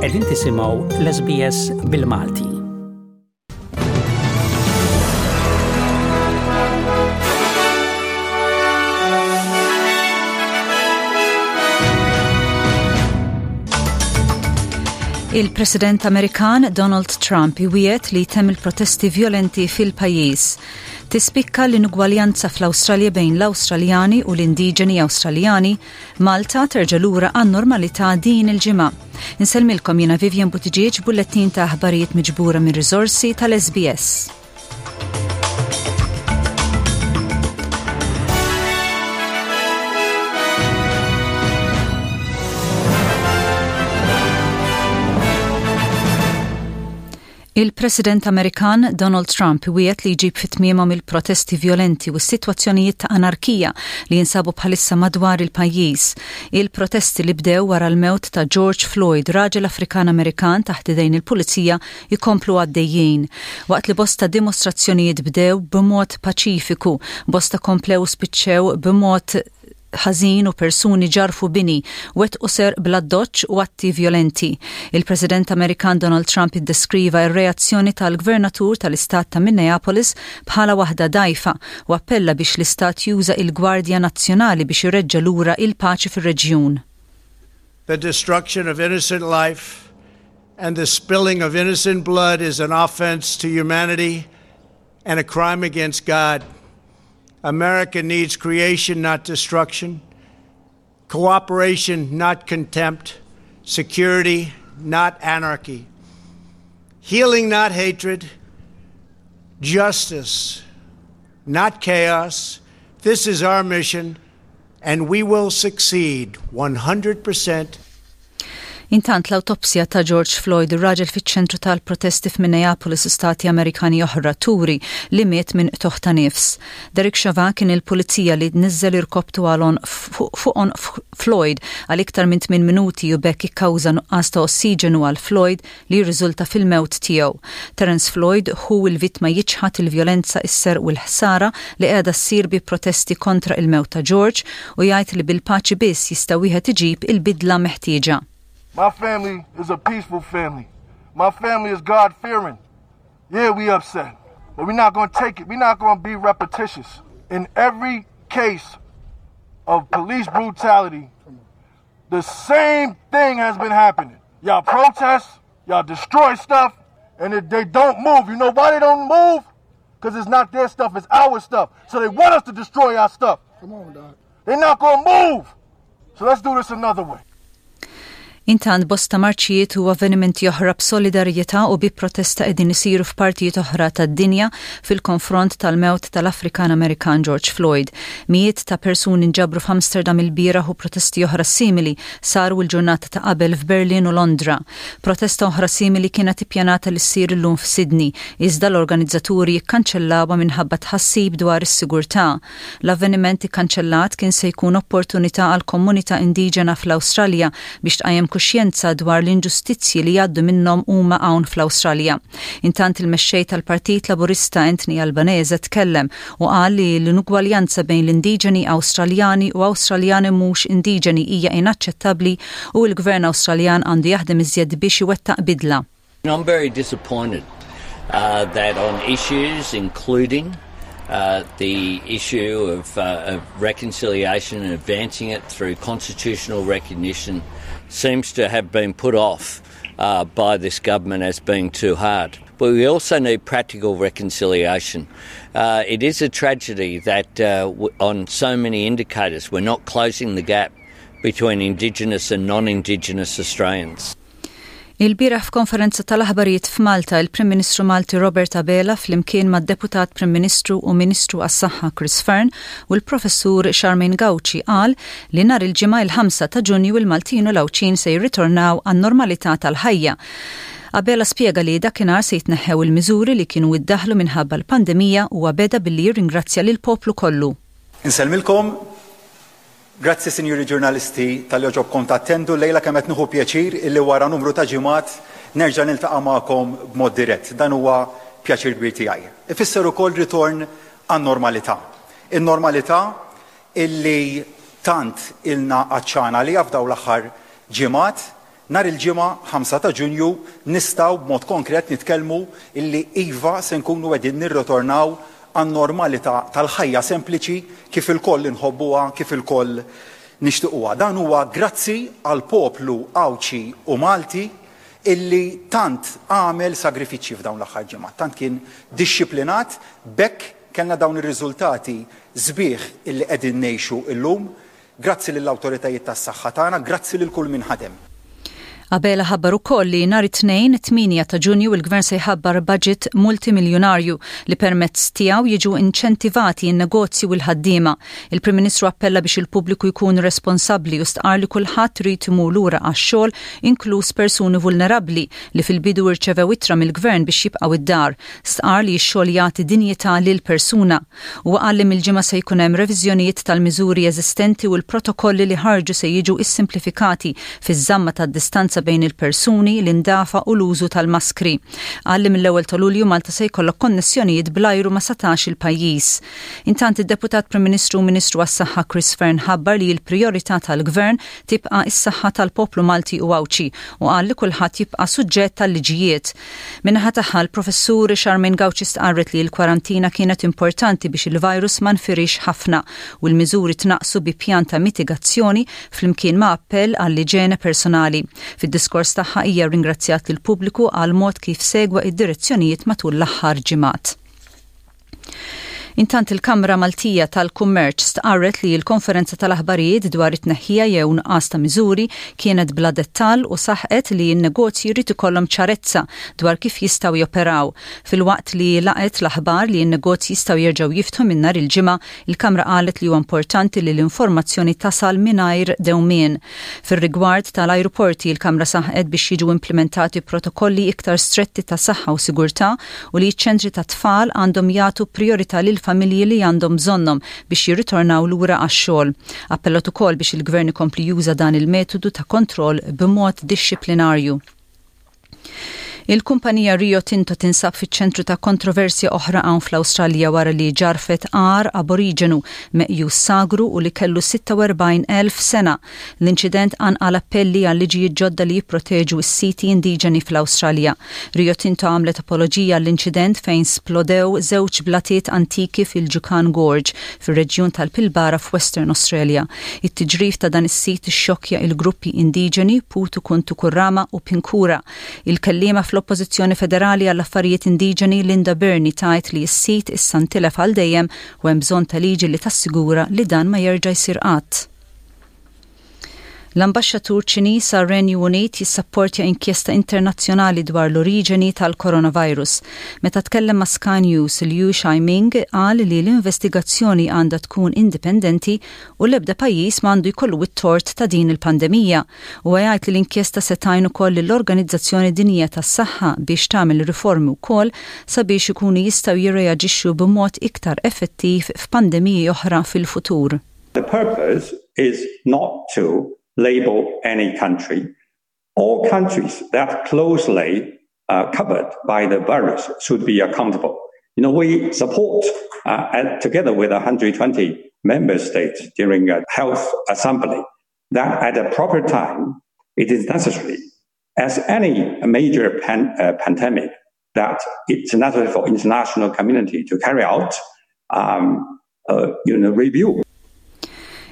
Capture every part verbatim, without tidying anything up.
Qegħdin tisimgħu l-S B S bil-Malti. Il-President Amerikan Donald Trump iwiegħed li jtemm il-protesti violenti fil-pajjiż. Tispikka l-inugwaljanza fl-Awstralja bejn l-Awstraljani u l-indiġeni Awstraljani. Malta terġa' lura għan-normalità din il-ġimgħa. Insellmilkom jiena Vivian Buttigieg, bullettin ta' aħbarijiet miġbura minn riżorsi tal-S B S. Il-President Amerikan Donald Trump wiegħed li jġib fi tmiemhom il-protesti violenti u s-sitwazzjonijiet ta' anarkija li jinsabu bħalissa madwar il-pajjiż. Il-protesti li bdew wara l-mewt ta' George Floyd, raġel Afrikan Amerikan taħt idejn il-pulizija, jikomplu għaddejjin. Waqt li bosta dimostrazzjonijiet bdew b'mod paċifiku, bosta komplew spiċċew b'mod ħażin u persuni ġarfu bini, wettqu serq bl-addoċċ u atti violenti. Il-President Amerikan Donald Trump iddeskriva ir-reazzjoni tal-Gvernatur tal-Istat ta' Minneapolis bħala waħda dgħajfa u appella biex l-Istat juża il-Gwardja Nazzjonali biex ireġġa' lura il-paċi fir-reġjun. The destruction of innocent life and the spilling of innocent blood is an offense to humanity and a crime against God. America needs creation, not destruction, cooperation, not contempt, security, not anarchy, healing, not hatred, justice, not chaos. This is our mission, and we will succeed one hundred percent. Intant, l-awtopsja ta' George Floyd, ir-raġel fiċ-ċentru tal-protesti f'Minneapolis u stati Amerikani oħra, turi li miet minn qtugħ ta' nifs. Derek Chauvin kien il-pulizija li niżel irkobtu għal fuq Floyd għal iktar minn tmien minuti u b'hekk ikkawża nuqqas ta' ossiġenu għal Floyd li jirriżulta fil-mewt tiegħu. Terence Floyd, ħu il-vittma, jiċħad il-vjolenza, is-serq u l-ħsara li qiegħda ssir bi protesti kontra il-mewt ta' George u jgħid li bil-paċi biss jista' wieħed iġib il-bidla meħtieġa. My family is a peaceful family. My family is God fearing. Yeah, we upset. But we're not going to take it. We're not going to be repetitious. In every case of police brutality, the same thing has been happening. Y'all protest, y'all destroy stuff, and if they don't move. You know why they don't move? Because it's not their stuff, it's our stuff. So they want us to destroy our stuff. Come on, dog. They're not going to move. So let's do this another way. Intant, bosta marċijiet u avvenimenti oħra b'solidarjetà u bi protesta qegħdin isiru f'partijiet oħra tad-dinja fil-konfront tal-mewt tal-Afrikan Amerikan George Floyd. Mijiet ta' persuni nġabru f'Amsterdam il-bieraħ u protesti oħra simili saru l-ġurnata ta' qabel f'Berlin u Londra. Protesta oħra simili kienet ippjanata li ssir illum f'Sydney, iżda l-organizzaturi kkanċellawha minħabba tħassib dwar is-sigurtà. L-avveniment ikkanċellat kien se jkun opportunità għal komunità indiġena fl-Awstralja biex tqajjem kuxjenza dwar l-inġustizzji li jgħaddu minnhom huma hawn fl-Awstralja. Intant, il-mexxej tal-Partit Laburista Anthony Albanese tkellem u qal li l-inugwaljanza bejn l-indiġeni Awstraljani u Awstraljani mhux indiġeni hija inaċċettabbli u l-Gvern Awstraljan għandu jaħdem iżjed biex iwettaq bidla. I'm very disappointed uh, that on issues including uh, the issue of, uh, of reconciliation and advancing it through constitutional recognition seems to have been put off uh, by this government as being too hard. But we also need practical reconciliation. Uh, it is a tragedy that uh, w- on so many indicators we're not closing the gap between Indigenous and non-Indigenous Australians. Il-bieraħ f'konferenza tal-aħbarijiet f'Malta, il-Prim Ministru Malti Robert Abela flimkien mad-Deputat Prim Ministru u Ministru għas-Saħħa Chris Fearne u l-Professur Charmaine Gauci qal li nhar il-Ġimgħa, il-ħamsa ta' Ġunju, il-Maltin u l-Għawdxin se jirritornaw għan-normalità tal-ħajja. Abela spjega li dakinhar se jitneħħew il-miżuri li kienu iddaħlu minħabba l-pandemija u beda billi jirringrazzja lil poplu kollu. Insellmilkom. Grazzi, sinjuri ġurnalisti, talli għoġobkom tattendu lejla. Kemm qed nieħu pjaċir illi wara numru ta' ġimgħat nerġa' niltaqa' magħkom b'mod dirett. Dan huwa pjaċir kbir tiegħi. Ifisser ukoll ritorn għan-normalità. In-normalità illi tant ilna għatxana li f'dawn l-aħħar ġimgħat. Nhar il-Ġimgħa ħamsa ta' Ġunju nistgħu b'mod konkret nitkellmu illi iva, se nkunu qegħdin nirritornaw għan-normalità tal-ħajja sempliċi kif ilkoll inħobbuha, kif ilkoll nixtiquha. Dan huwa grazzi għal poplu Għawdxi u Malti illi tant għamel sagrifiċċji f'dawn l-aħħar ġimgħat, tant kien dixxiplinat, b'hekk kellna dawn ir-riżultati sbieħ illi qegħdin ngħixu illum. Grazzi lill-awtoritajiet tas-saħħa tagħna, grazzi lil kull min ħadem. Abela ħabbar ukoll li nhar it-Tnejn tmienja ta' Ġunju il-Gvern se jħabbar budget multimiljonarju li permezz tiegħu jiġu inċentivati n-negozji u l-ħaddiema. Il-Prim Ministru appella biex il-pubbliku jkun responsabbli u stqar li kulħadd irid imur lura għax-xogħol, inkluż persuni vulnerabbli li fil-bidu irċevew ittra mill-Gvern biex jibqgħu id-dar. Stqar li x-xogħol jagħti dinjità lil persuna. U qal li mill-Ġimgħa se jkun hemm reviżjonijiet tal-miżuri eżistenti u l-protokolli li ħarġu se jiġu issimplifikati fiż-żamma tad-distanza bejn il-persuni, l-indafa u l-użu tal-maskri. Qal li mill-ewwel ta' Lulju Malta se jkollok konnessjonijiet bl-ajru ma' satax il-pajjiż. Intant, id-Deputat Prim Ministru u Ministru għas-Saħħa Chris Fearne ħabbar li l-prijorità tal-Gvern tibqa' is-saħħa tal-poplu Malti u Għawdxi u qal li kulħadd jibqa' suġġett tal-liġijiet. Min-naħa tagħha, l-Professur Charmaine Gauci stqarret li l-kwarantina kienet importanti biex il-virus ma nfirix ħafna u l-miżuri tnaqsu bi pjan ta' mitigazzjoni flimkien ma' appell għall-iġene personali. Fid-diskors tagħha hija ringrazzjat lil pubbliku għal mod kif segwa id-direzzjonijiet matul l-aħħar ġimgħat. Intant, il-Kamra Maltija tal-Kummerċ stqarret li l-konferenza tal-aħbarijiet dwar it-tneħħija jew nuqqas ta' miżuri kienet bla dettal u saħqet li n-negozji jrid ikollhom ċarezza dwar kif jistgħu joperaw. Filwaqt li laqet l-aħbar li n-negozji jistgħu jerġgħu jiftħu minn nhar il-Ġimgħa, il-Kamra qalet li huwa importanti li l-informazzjoni tasal mingħajr dewmien. Fir-rigward tal-ajruporti, il-Kamra saħqet biex jiġu implementati protokolli iktar stretti ta' saħħa u sigurtà u li ċ-ċentri ta' tfal għandhom jagħtu priorità lil familji li għandhom bżonnhom biex jirritornaw lura għax-xogħol. Appellat ukoll biex il-gvern ikompli juża dan il-metodu ta' kontroll b'mod dixxiplinarju. Il-kumpanija Rio Tinto tinsab fiċ-ċentru ta' kontroversja oħra hawn fl-Awstralja wara li ġarfet għar aboriġenu meqjus sagru u li kellu sitta u erbgħin elf sena. L-inċident qanqal appelli għal liġijiet ġodda li jipproteġu s-siti indiġeni fl-Awstralja. Rio Tinto għamlet apoloġija għall-inċident fejn splodew żewġ blatiet antiki fil-Juukan Gorge fir-reġjun tal-Pilbara f'Western Australia. It-tiġrif ta' dan is-sit xokja il-gruppi indiġeni Putu Kuntu Kurrama u Pinkura. Il-kellima fl-Oppożizzjoni Federali għall-Affarijiet Indiġeni Linda Burney tgħid li s-sit issa ntilef għal dejjem u hemm bżonn ta' liġi li tassigura li dan ma jerġa' jsir qatt. L-ambaxxatur Ċiniż għar-Renju Unit jissapportja inkjesta internazzjonali dwar l-oriġeni tal-coronavirus. Meta tkellem ma' Sky News, Liu Xiaoming qal li l-investigazzjoni għandha tkun indipendenti u l-ebda pajjiż m'għandu jkollu it-tort ta' din il-pandemija. U jgħid li l-inkjesta se tgħin ukoll l-Organizzazzjoni Dinjija tas-Saħħa biex tagħmel riformi wkoll sabiex ikunu jistgħu jirreaġixxu b'mod iktar effettiv f'pandemiji oħra fil-futur. The purpose is not to label any country. All countries that closely uh, covered by the virus should be accountable. You know, we support, uh, and together with one hundred twenty member states during a health assembly, that at a proper time, it is necessary, as any major pan, uh, pandemic, that it's necessary for international community to carry out um, uh, you know, review.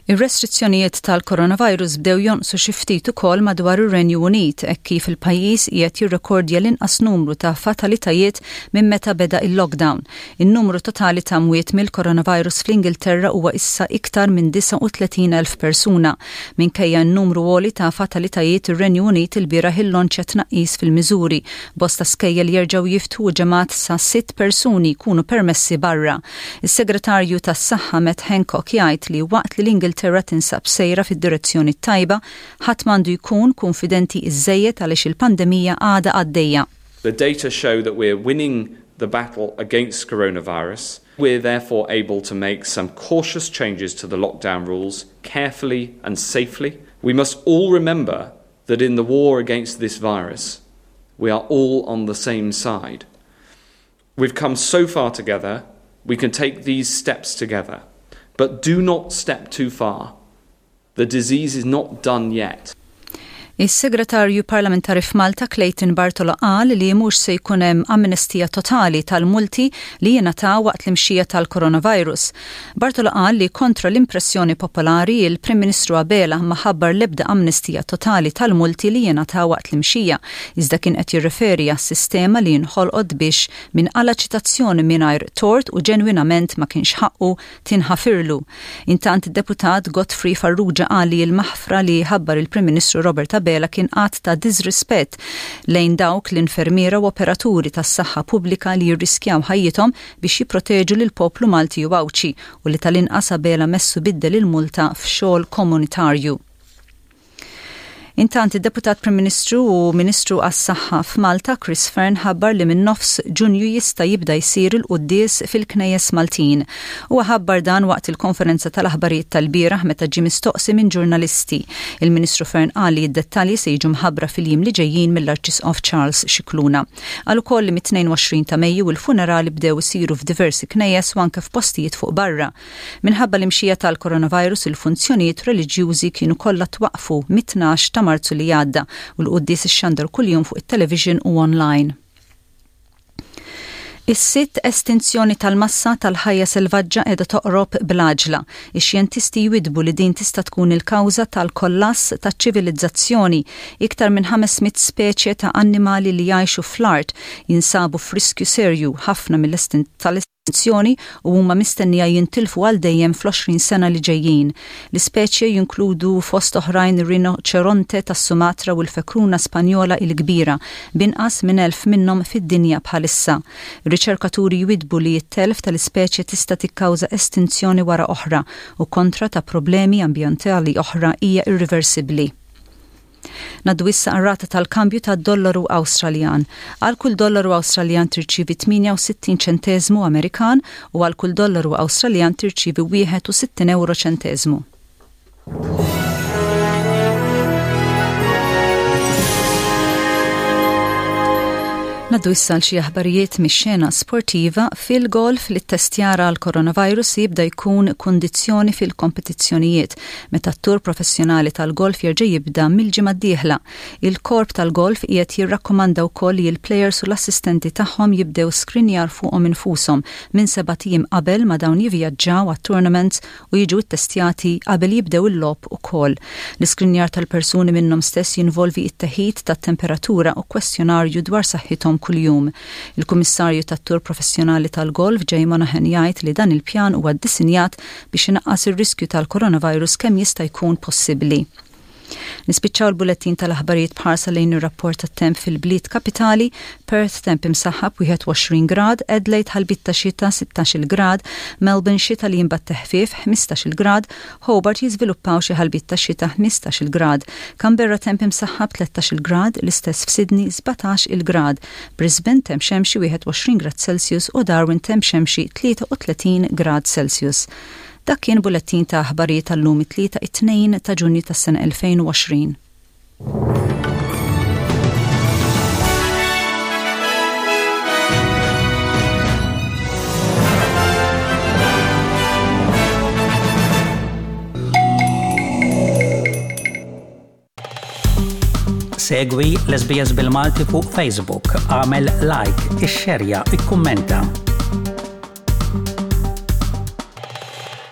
Ir-restrizzjonijiet tal-coronavirus bdew jonqsu xi ftit ukoll madwar ir-Renju Unit hekk kif il-pajjiż qiegħed jirrekordja l-inqas numru ta' fatalitajiet minn meta beda il-lockdown. In-numru totali ta' mwiet mill-coronavirus fl-Ingilterra huwa issa iktar minn disgħa u tletin elf persuna. Minkejja n-numru għoli ta' fatalitajiet, ir-Renju Unit ilbieraħ illonċja tnaqqis fil-miżuri. Bosta skejjel jerġgħu jiftħu, ġemgħat sa' sitt persuni jkunu permessi barra. Is-Segretarju tas-Saħħa Matt Hancock jgħid li waqt li l-Ingilterra tinsab sejra fid-direzzjoni tajba, ħadd m'għandu jkun konfidenti iżejjed għaliex il-pandemija għadha għaddejja. The data show that we're winning the battle against coronavirus. We're therefore able to make some cautious changes to the lockdown rules carefully and safely. We must all remember that in the war against this virus, we are all on the same side. We've come so far together, we can take these steps together. But do not step too far. The disease is not done yet. Is-Segretarju Parlamentari f'Malta Clayton Bartolo qal li mhux se jkun hemm amnestija totali tal-multi li jingħataw waqt l-imxija tal-coronavirus. Bartolo qal li kontra l-impressjoni popolari, il-Prim Ministru Abela ma ħabbar l-ebda amnestija totali tal-multi li jingħataw waqt l-imxija, iżda kien qed jirreferi għas-sistema li nħolqot biex min qala' ċitazzjoni mingħajr tort u ġenwinament ma kienx ħaqqu tinħafirlu. Intant, id-deputat Godfrey Farrugia qal li l-maħfra li ħabbar il-Prim Ministru Robert Abela kien att ta' disrispett lejn dawk l-infermiera u operaturi tas-saħħa pubblika li jirriskjaw ħajjithom biex jipproteġu lil poplu Malti u Għawdxi u li tal-inqas Abela messu biddel il-multa f'xogħol komunitarju. Intant, id-Deputat Prim Ministru u Ministru għas-Saħħa f'Malta Chris Fearne ħabbar li minn nofs Ġunju jista' jibda jsir il-quddies fil-Knejjes Maltin. Huwa ħabbar dan waqt il-konferenza tal-aħbarijiet tal-bieraħ meta ġie mistoqsi minn ġurnalisti. Il-Ministru Fearne qal li d-dettalji se jiġu mħabbra fil-jiem li ġejjin mill-Arċisqof Charles Scicluna. Qal ukoll li mit-tnejn u għoxrin ta' Mejju il-funerali bdew isiru f'diversi knejjes u anke f'postijiet fuq barra. Minħabba l-imxija tal-coronavirus, il-funzjonijiet reliġjużi kienu kollha twaqfu mit-tnax ta' Marzu li għadda u l-quddies ixxandar kuljum fuq it-television u online. Is-sitt estinzjoni tal-massa tal-ħajja selvaġġa qiegħda toqrob bl-għaġla. Ix-xjentisti jwidbu li din tista' tkun il-kawża tal-kollass taċ-ċivilizzazzjoni. Iktar minn ħames mitt speċje ta' annimali li jgħixu fl-art jinsabu f'riskju serju ħafna mill-estinzjoni u huma mistennija jintilfu għal dejjem fl-għoxrin sena li ġejjin. L-ispeċje jinkludu fost oħrajn ir-rinoċeronte tas-Sumatra u l-fekruna Spanjola il-kbira, b'inqas minn elf minnhom fid-dinja bħalissa. Ir-riċerkaturi jwidbu li t-telf tal-ispeċje tista' tikkawża estinzjoni wara oħra u kontra ta' problemi ambjentali oħra hija irreversibbli. Ngħaddu issa għar-rata tal-kambju tad-dollaru Awstraljan. Għal kull dollaru Awstraljan tirċivi tmienja u sittin ċentesmu Amerikan u għal kull dollaru Awstraljan tirċivi wieħed u sittin euro ċentesmu. Ngħaddu issa xi aħbarijiet mix-xena sportiva. Fil-golf, li ttestjar għal coronavirus jibda jkun kondizzjoni fil-kompetizzjonijiet meta t-tur professjonali tal-golf jerġa' jibda mill-ġimgħa d-dieħla. Il-korp tal-golf qiegħed jirrakkomanda wkoll li l-players u l-assistenti tagħhom jibdew skrinjar fuqhom infushom minn sebat ijiem qabel ma dawn jivvjaġġaw għat-tournaments u jiġu ttestjati qabel jibdew il-logħob ukoll. L-iskrinjar tal-persuni minnhom stess jinvolvi it-teħid tat-temperatura u kwestjonarju dwar saħħithom kuljum. Il-Kummissarju tat-Tur Professjonali tal-Golf Jay Monahan jgħid li dan il-pjan huwa ddisinjat biex inaqqas ir-riskju tal-coronavirus kemm jista' jkun possibbli. Nispiċċaw il-bulettin tal-aħbarijiet b'ħarsa lejn ir-rapport tat-temp fil-bliet kapitali: Perth temp imsaħħab wieħed u għoxrin grad, Adelaide ħalbiet ta' xita sittax-il grad, Melbourne xita li imbagħad teħfief ħmistax-il grad, Hobart jiżviluppaw xi ħalbiet ta' xita ħmistax-il grad, Canberra temp imsaħħab tlettax-il grad, l-istess f'Sydney sbatax-il grad, Brisbane temp xemxi wieħed u għoxrin grad Celsius u Darwin temp xemxi tlieta u tletin grad Celsius. Dak kien bulettin ta' aħbarijiet tal-lum, it-Tlieta, it-tnejn ta' Ġunju tas-sena elfejn u għoxrin. Segwi l-S B S bil-Malti fuq Facebook, għamel like, ixxerja, ikkummenta.